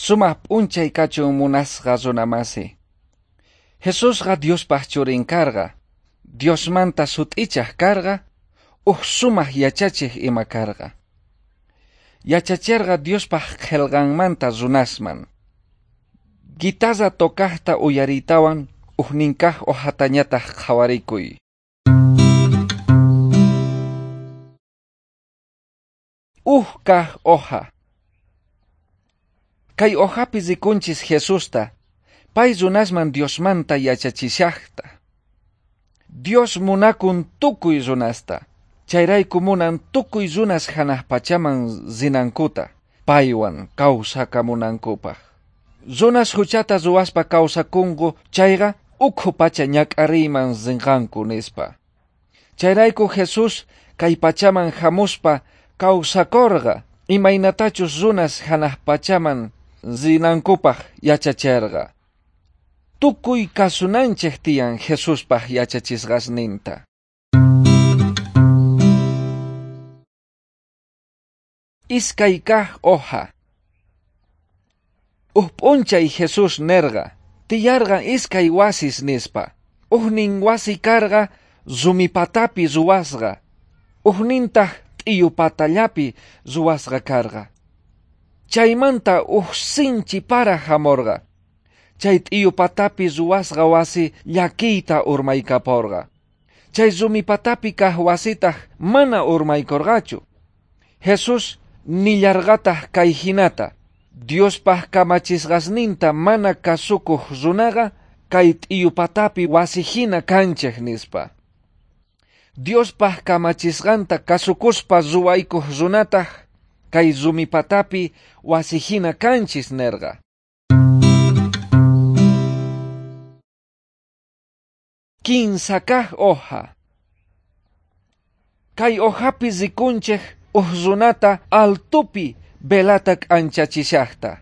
Sumaq p'unchay kachun munasqa runamasi. Jesusqa Diospaj churin karqa, Diosmanta sut'ichaj karqa, uj sumaq yachachej ima karqa. Yachacherqa Diospaj qhelqanmanta runasman. Guitarra tocajta uyariytawan ujninkaj hojatañataj qhawarikuy. Uj kaj hoja. Kay hojapi rikunchis Jesusta, pay runasman Diosmanta yachachishajta. Dios munakun tukuy runasta, chayrayku munan tukuy runas hanaq pachaman rinankuta, paywan kawsakamunankupaj. Runas huchata ruwaspa kawsakunku chayqa ukhu pacha ñak'ariyman rinqanku nispa. Chayrayku Jesús kay pachaman hamuspa kawsakorqa, imaynatachus runas hanaq pachaman rinankupaj yachacherqa. Tukuy kasunanchej tiyan Jesuspaj yachachisqasninta. Iskay kaj hoja. Uj p'unchay Jesús nerqa, tiyarqa iskay wasis nispa. Ujnin wasi karqa rumipatapi ruwasqa, ujnintaj t'iyupatallapi ruwasqa karqa. Chaymanta uj sinchi para hamorqa. Chay t'iyupatapi ruwasqa wasi llakiyta urmaykaporqa. Chay rumipatapi kaj wasitaj mana urmaykorqachu. Jesús nillarqataj kay hinata: Diospaj kamachisqasninta mana kasukuq runaqa kay t'iyupatapi wasi hina kanchej nispa. Diospaj kamachisqanta kasukuspa ruwaykuq runataj kay rumipatapi wasi hina kanchis nerqa. Kinsa kaj hoja. Kay hojapi rikunchej uj runata altupi velata k'anchachishajta.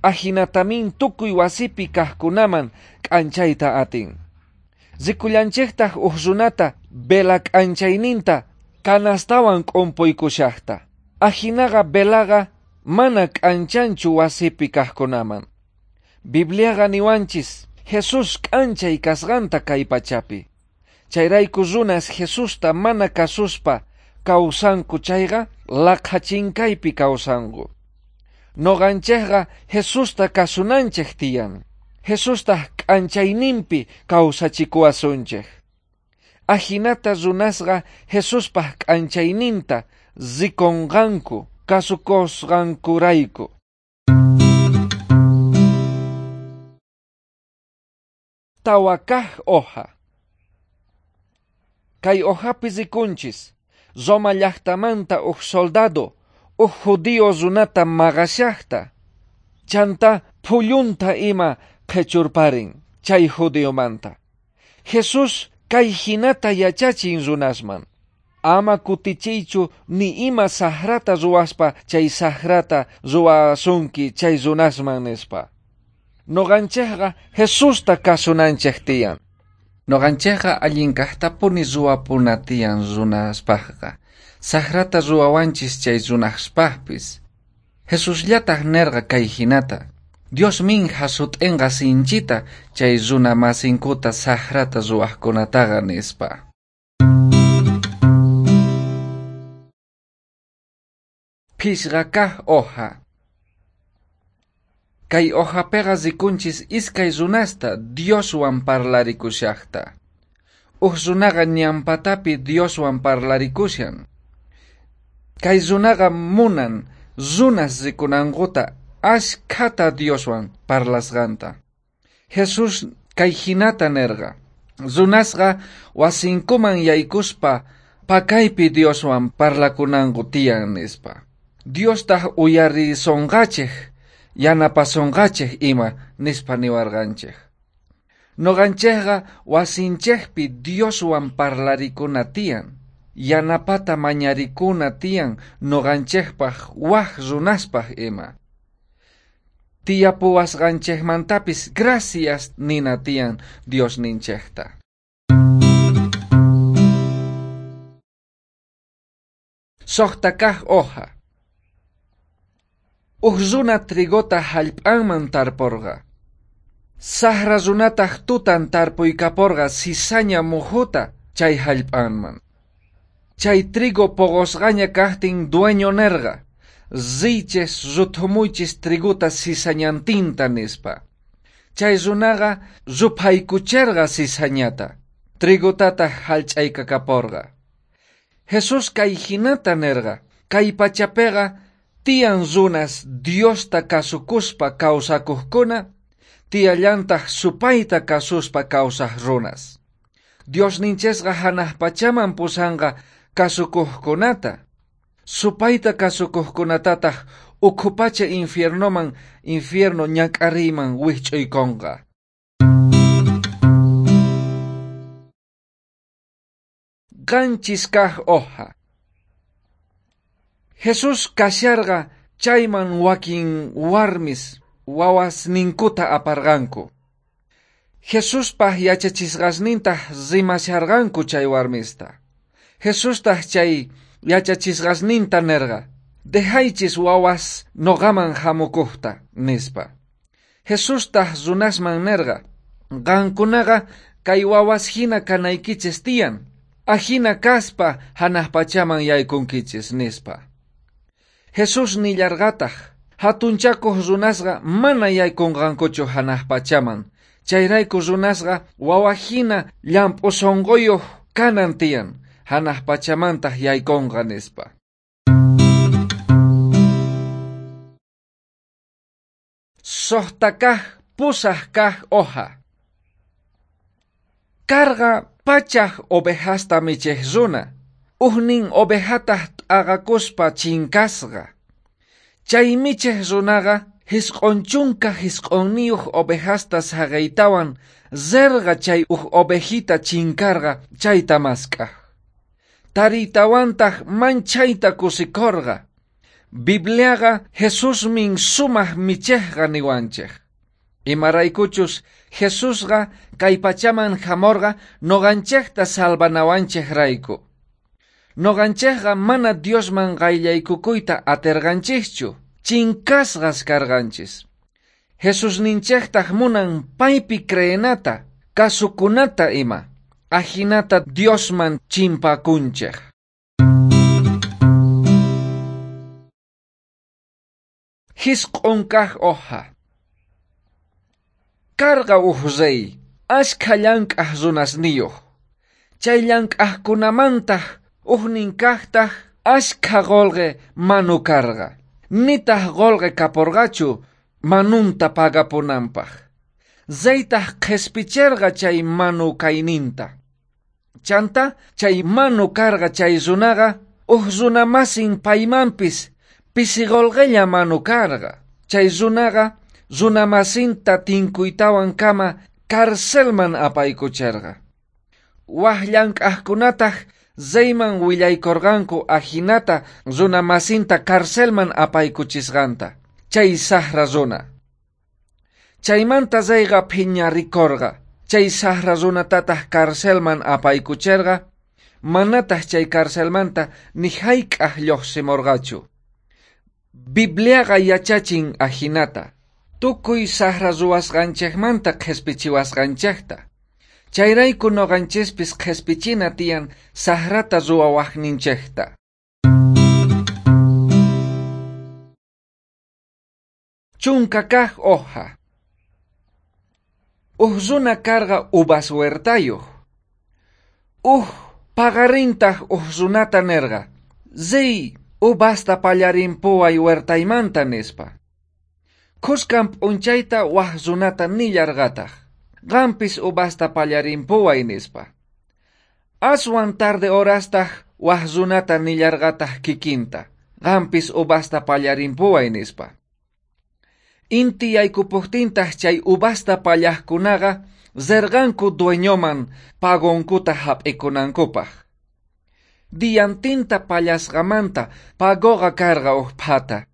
Ajinatamin tukuy wasipi kajkunaman k'anchayta atin. Rikullanchejtaj uj runata vela k'anchayninta canastawan k'umpuykushajta. Ajinaqa velaqa mana k'anchanchu wasipi kajkunaman. Bibliaqa niwanchis Jesús k'anchay kasqanta kay pachapi. Chayrayku runas Jesusta mana kasuspa kawsanku chayqa laqhachinkaypi kawsanku. Noqanchejqa Jesusta kasunanchej tiyan. Jesustaj k'anchayninpi kawsachikuwasunchej. Ajinata runasqa Jesuspaj k'anchayninta rikonqanku kasukusqankurayku. Tawa kaj hoja. Kay hojapi rikunchis Roma llajtamanta uj soldado, uj judío runata maqashajta. Chanta phullunta ima qhechurparin chay judiomanta. Jesús kay hinata yachachin runasman: Ama kutichiychu ni ima sajrata ruwaspa chay sajrata ruwasunki chay runasman nispa. Noqanchejqa Jesusta kasunanchej tiyan. Noqanchejqa allin kajtapuni ruwapuna tiyan runaspajqa. Sajrata ruwawanchis chay runaspajpis. Jesusllataj nerqa kay hinata: Dios min jasut'enqa sinchita chay runa masinkuta sajrata ruwajkunataqa nispa. Phishqa kaj hoja. Kay hojapiqa rikunchis iskay runasta Dioswan parlarikushajta. Uj runaqa ñanpatapi Dioswan parlarikushan. Kay runaqa munan runas rikunankuta ashkhata Dioswan parlasqanta. Jesús kay hinata nerqa: Runasqa wasinkuman yaykuspa pakaypi Dioswan parlakunanku tiyan nispa. Diostaj uyarisonqachej, yanapasonqachej ima nispa niwarqanchej. Noqanchejqa wasinchejpi Dioswan parlarikuna tiyan, yanapata mañarikuna tiyan noqanchejpaj waj runaspaj ima. Tiyapuwasqanchejmantapis gracias nina tiyan Diosninchejta. Sojta kaj hoja. Uj runa trigota jallp'anman tarporqa. Sajra runataj tutan tarpuykaporqa cizaña mujuta chay jallp'anman. Chay trigo poqosqaña kajtin dueño nerqa: "Riychis ruthumuychis trigota cizañantinta", nispa. Chay runaqa ruphaykucherqa cizañata, trigotataj jallch'aykakaporqa. Jesús kay jinata nerqa: kay pachapeqa tiyan runas Diosta kasukuspa kawsakojkuna, tiyallantaj supayta kasuspa kawsaj runas. Diosninchesqa janaj pachaman pusanqa kasukojkunata, supayta kasukojkunatataj ukhu pacha infiernoman, infierno ñak'ariyman wijch'uykonqa. Qanchis kaj hoja. Jesús kasharqa chayman wakin warmis wawasninkuta aparqanku. Jesuspaj yachachisqasnintaj rimasharqanku chay warmista. Jesustaj chay yachachisqasninta nerqa: "Dejaychis wawas noqaman jamukojta", nispa. Jesustaj runasman nerqa: "Qankunaqa kay wawas jina kanaykichis tiyan, ajina kaspa janaj pachaman yaykunkichis", nispa. Jesús nillarqataj: hatunchakoj runasqa mana yaykunqankuchu janaj pachaman, chayrayku runasqa wawa jina llamp'u sonqoyoj kanan tiyan, janaj pachamantaj yaykonqa, nispa. Sojta kaj pusaj kaj hoja. Karqa pachaj ovejasta michej runa, ujnin ovejataj t'aqakuspa chinkasqa. Chay michej runaqa 99 ovejasta saqeytawan rerqa chay uj ovejita chinkarqa chayta mask'aj. Tariytawantaj manchayta kusikorqa. Bibliaqa Jesusmin sumaj michejqa niwanchej. Imaraykuchus Jesusqa kay pachaman jamorqa noqanchejta salvanawanchejrayku. Noqanchejqa mana Diosman qayllaykukuyta aterqanchejchu, chinkasqas karqanchis. Jesusninchejtaj munan paypi creenata, kasukunata ima, ajinata Diosman chimpakunchej. Jisq'on kaj hoja. Karqa uj rey, ashkha llank'aj runasniyoj. Chay llank'ajkunamantaj ujnin kajtaj ashkha qolqe manu karqa. Nitaj qolqe kaporqachu manunta pagapunanpaj. Reytaj qhespicherqa chay manu kayninta. Chanta chay manu karqa chay runaqa uj runamasin paymanpis pisi qolqella manu karqa. Chay runaqa runamasinta tinkuytawan kama carcelman apaykucherqa. Waj llank'ajkunataj reyman willaykorqanku ajinata runamasinta carcelman apaykuchisqanta, chay sajra runa. Chaymanta reyqa phiñarikorqa, chay sajra runatataj carcelman apaykucherqa, manataj chay carcelmanta ni jayk'aj llojsimorqachu. Bibliaqa yachachin ajinata, tukuy sajra ruwasqanchejmanta qhespichiwasqanchejta. Chayrayku noqanchespis qhespichina tiyan sajrata ruwawajninchejta. Chunka kaj hoja. Uj runa karqa uvas huertayoj. Uj paqarintaj uj runata nerqa: "Riy, uvasta pallarimpuway huertaymanta", nispa. Khuskan p'unchayta waj runata nillarqataj: "Qampis uvasta pallarimpuway", nispa. Aswan tarde horastaj waj runata nillarqataj kikinta: "Qampis uvasta pallarimpuway", nispa. Inti yaykupojtintaj chay uvasta pallajkunaqa rerqanku dueñoman pagonkuta jap'ikunankupaj. Diantinta pallasqamanta pagoqa karqa uj phata.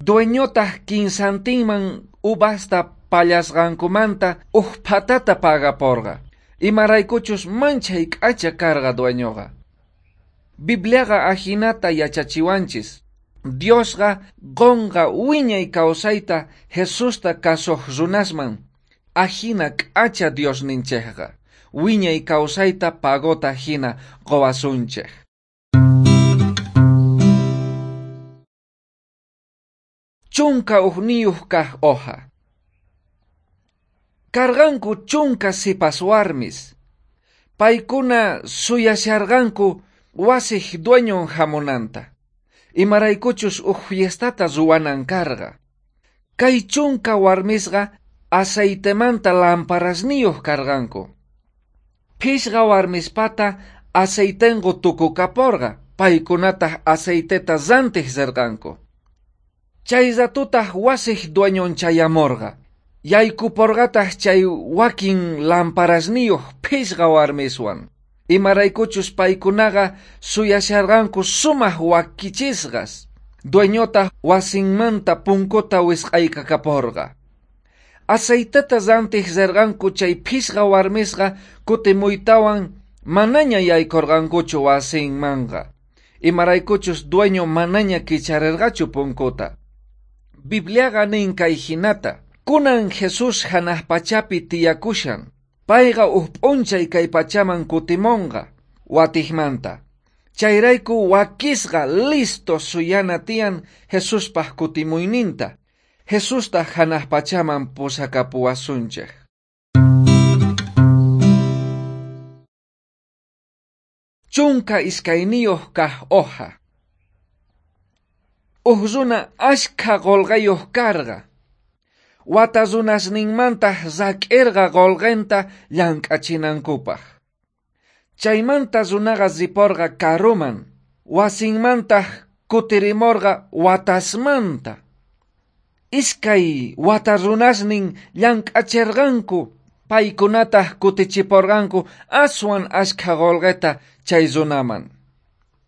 Dueñotaj kinsantinman uvasta pallasqankumanta uj phatata pagaporqa, imaraykuchus manchay k'acha karqa dueñoqa. Bibliaqa ajinata yachachiwanchis: Diosqa qonqa wiñay kawsayta Jesusta kasoj runasman. Ajina k'acha Diosninchejqa wiñay kawsayta pagota jina qowasunchej. 11 kaj hoja. Karqanku 10 sipas warmis. Paykuna suyasharqanku wasij dueñon hamunanta. Imaraykuchus uj fiestata ruwanan karqa. Kay 10 warmisqa aceitemanta lamparasniyuq karqanku. 5 warmispata aceitenku tukukaporqa, paykunataq aceiteta rantej rirqanku. Chay ratutaq wasij dueñon chayamorqa. Yaykuporqataq chay wakin lamparasniyuq 5 warmiswan. Imaraykuchus paykunaqa suyasharqanku sumaq wakichisqas. Dueñotaq wasinmanta punkuta wisq'aykakaporqa. Aceiteta rantej rirqanku chay 5 warmisqa kutimuytawan manaña yaykorqankuchu wasinmanqa. Imaraykuchus dueño manaña kicharerqachu punkuta. Bibliaqa nin kay hinata: kunan Jesús hanaq pachapi tiyakushan. Payqa uj p'unchay kay pachaman kutimonqa watijmanta. Chayrayku wakisqa listo suyana tiyan Jesuspaj kutimuyninta. Jesustaq hanaq pachaman pusakapuwasunchej. 12 kaj hoja. Uj runa ashkha qolqayuq karqa. Wata runasninmantaq rak'irqa qolqenta llank'achinankupaq. Chaymanta runaqa riporqa karuman, wasinmantaq kutirimorqa watasmanta. 2 wata runasnin llank'acherqanku, paykunataq kutichiporqanku aswan ashkha qolqeta chay runaman.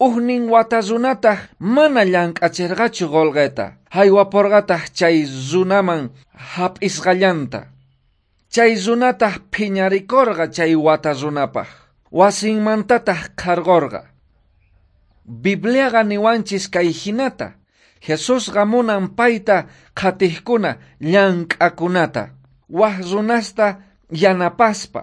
Ujnin wata runataq mana llank'acherqachu qolqeta, haywaporqataq chay runaman hap'isqallanta. Chay runataq phiñarikorqa chay wata runapaq, wasinmantataq qharqorqa. Bibliaqa niwanchis kay hinata: Jesusqa munan payta qhatijkuna llank'akunata, waj runasta yanapaspa,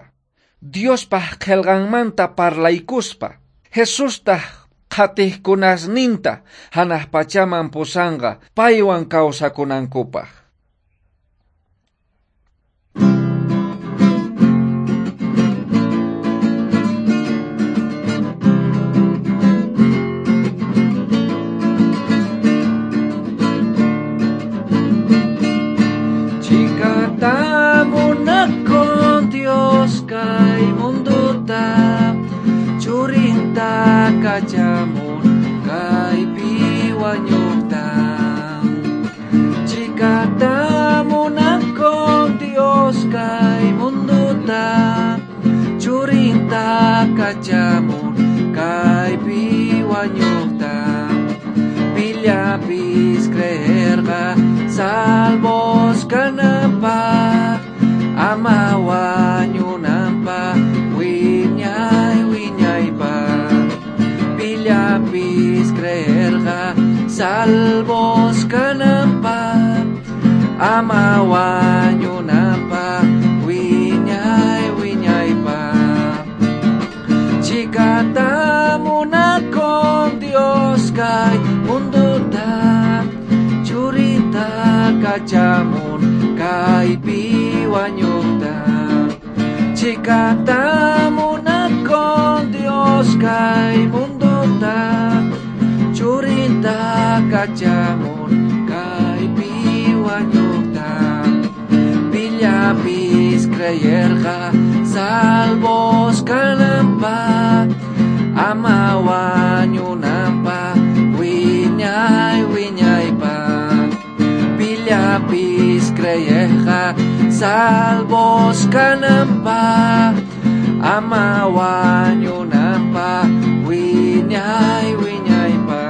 Diospaj qhelqanmanta parlaykuspa. Jesustaq qhatijkunasninta hanaq pachaman pusanqa paywan kawsakunankupaq. Chikata munakun Dios kay munduta, churinta kachamun kaypi wañuqta. Chikata munakun Dios kay munduta, churinta kachamun kaypi wañuqta. Pillapis creerqa salvos kananpaq, ama wañunanpaq wiñay wiñaypaq. Pillapis creerqa salvos kananpaq, ama wañunanpaq wiñay wiñaypaq. Chikata munakun Dios kay munduta, churinta kachamun kaypi wañuqta. Chikata munakun Dios kay munduta, churinta kachamun kaypi wañuqta. Pillapis creerqa salvos kananpaq, ama wañunanpaq wiñay wiñaypaq. Pillapis creerqa salvos kananpaq, ama wañunanpaq wiñay wiñaypaq.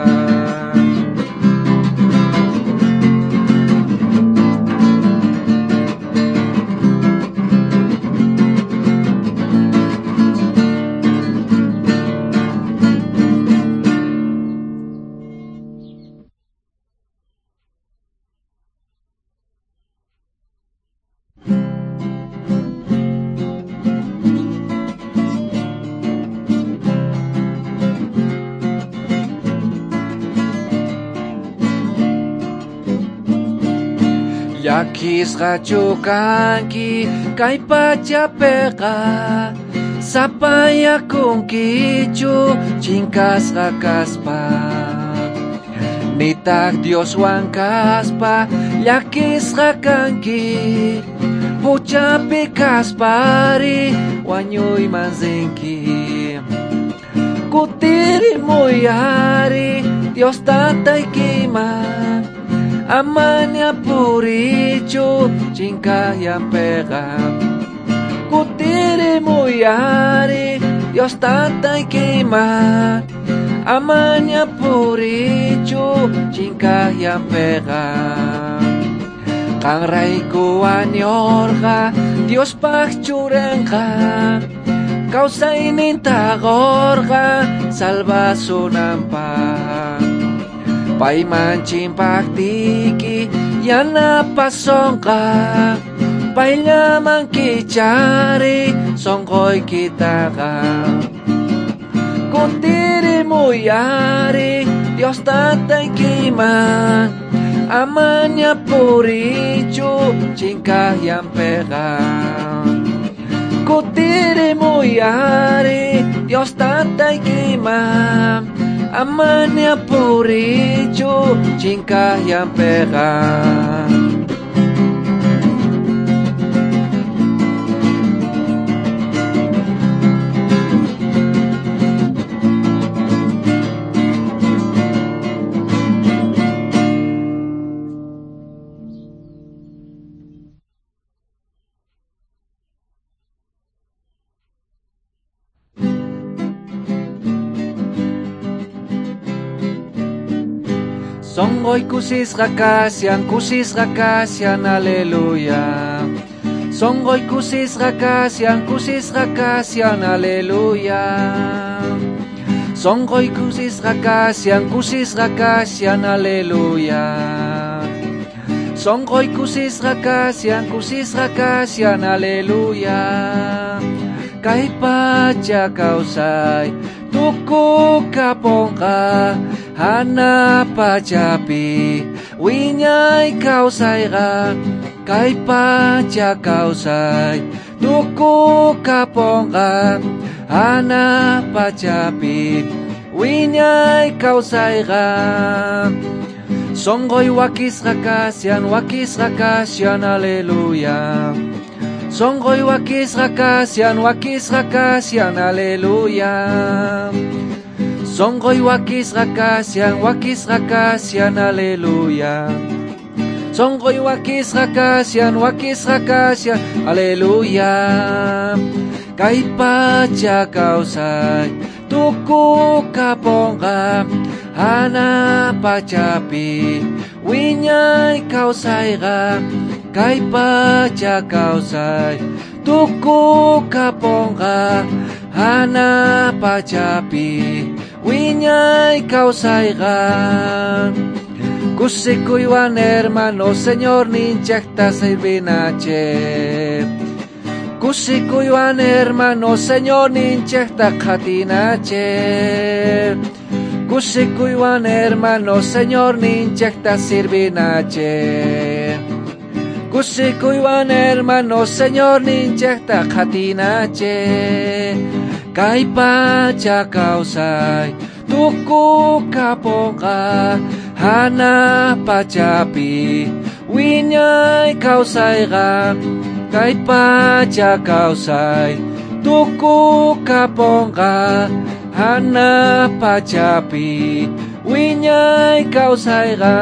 Llakisqachu kanki kay pachapiqa, sapayakunkichu chinkasqa kaspa. Nitaq Dioswan kaspa llakisqa kanki, huchapi kaspari wañuyman rinki. Kutirimuy ari Dios tataykiman, amaña purichu chinkayampiqa. Kutirimuy ari Dios tataykiman, amaña purichu chinkayampiqa. Qanrayku wañurqa Diospaq churanqa, kawsayninta qurqa salvasunanpaq. Payman chimpaqtiyki yanapasonqa, payllaman kichari sonqoykitaqa. Kutirimuy ari Dios tataykiman, amaña purichu chinkayampiqa. Kutirimuy ari Dios tataykiman, amaña purichu chinkayampiqa. Sonqoy kusisqa kashan, kusisqa kashan, aleluya. Sonqoy kusisqa kashan, kusisqa kashan, aleluya. Sonqoy kusisqa kashan, kusisqa kashan, aleluya. Sonqoy kusisqa kashan, kusisqa kashan, aleluya. Kay pacha kawsay tukukaponqa, hana pachapi wiñay kawsayqa. Kay pacha kawsay tukukaponqa, hana pachapi wiñay kawsayqa. Sonqoy wakisqa kashan, wakisqa kashan, aleluya. Sonqoy wakisqa kashan, wakisqa kashan, aleluya. Sonqoy wakisqa kashan, wakisqa kashan, aleluya. Sonqoy wakisqa kashan, wakisqa kashan, aleluya. Kay pacha kawsay tukukaponqa, hana pachapi wiñay kawsayqa. Kay pacha kawsay tukukaponqa, hana pachapi wiñay kawsayqa. Kusikuywan hermano Señor ninchaqta sirvinache. Kusikuywan hermano Señor ninchaqta qhatinache. Kusikuywan hermano Señor ninchaqta sirvinache. Kusikuywan hermano Señor ninchaqta qhatinache. Kay pacha kawsay tukukaponqa, hana pachapi wiñay kawsayqa. Kay pacha kawsay tukukaponqa, hana pachapi wiñay kawsayqa.